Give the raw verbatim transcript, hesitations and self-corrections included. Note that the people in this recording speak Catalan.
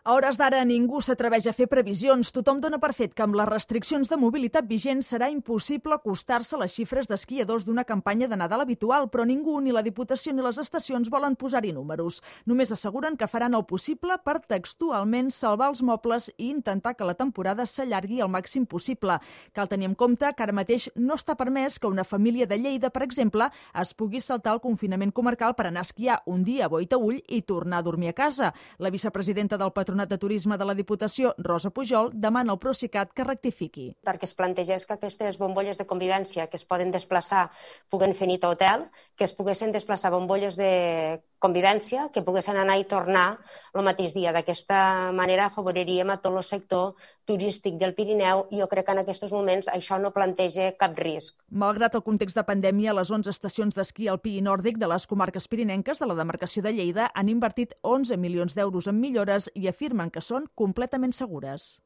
A hores d'ara ningú s'atreveix a fer previsions. Tothom dona per fet que amb les restriccions de mobilitat vigents serà impossible acostar-se a les xifres d'esquiadors d'una campanya de Nadal habitual, però ningú, ni la Diputació ni les estacions, volen posar-hi números. Només asseguren que faran el possible per textualment salvar els mobles i intentar que la temporada s'allargui el màxim possible. Cal tenir en compte que ara mateix no està permès que una família de Lleida, per exemple, es pugui saltar el confinament comarcal per anar a esquiar un dia a Boitaüll i tornar a dormir a casa. La vicepresidenta del Patronat de Turisme de la Diputació, Rosa Pujol, demana al Procicat que rectifiqui. Perquè es plantegés que aquestes bombolles de convivència que es poden desplaçar puguen fer nit a hotel, que es poguessin desplaçar bombolles de convivència, que poguessin anar i tornar el mateix dia. D'aquesta manera afavoriríem a tot el sector turístic del Pirineu i jo crec que en aquests moments això no planteja cap risc. Malgrat el context de pandèmia, les onze estacions d'esquí alpí i nòrdic de les comarques pirinenques de la demarcació de Lleida han invertit onze milions d'euros en millores i afirmen que són completament segures.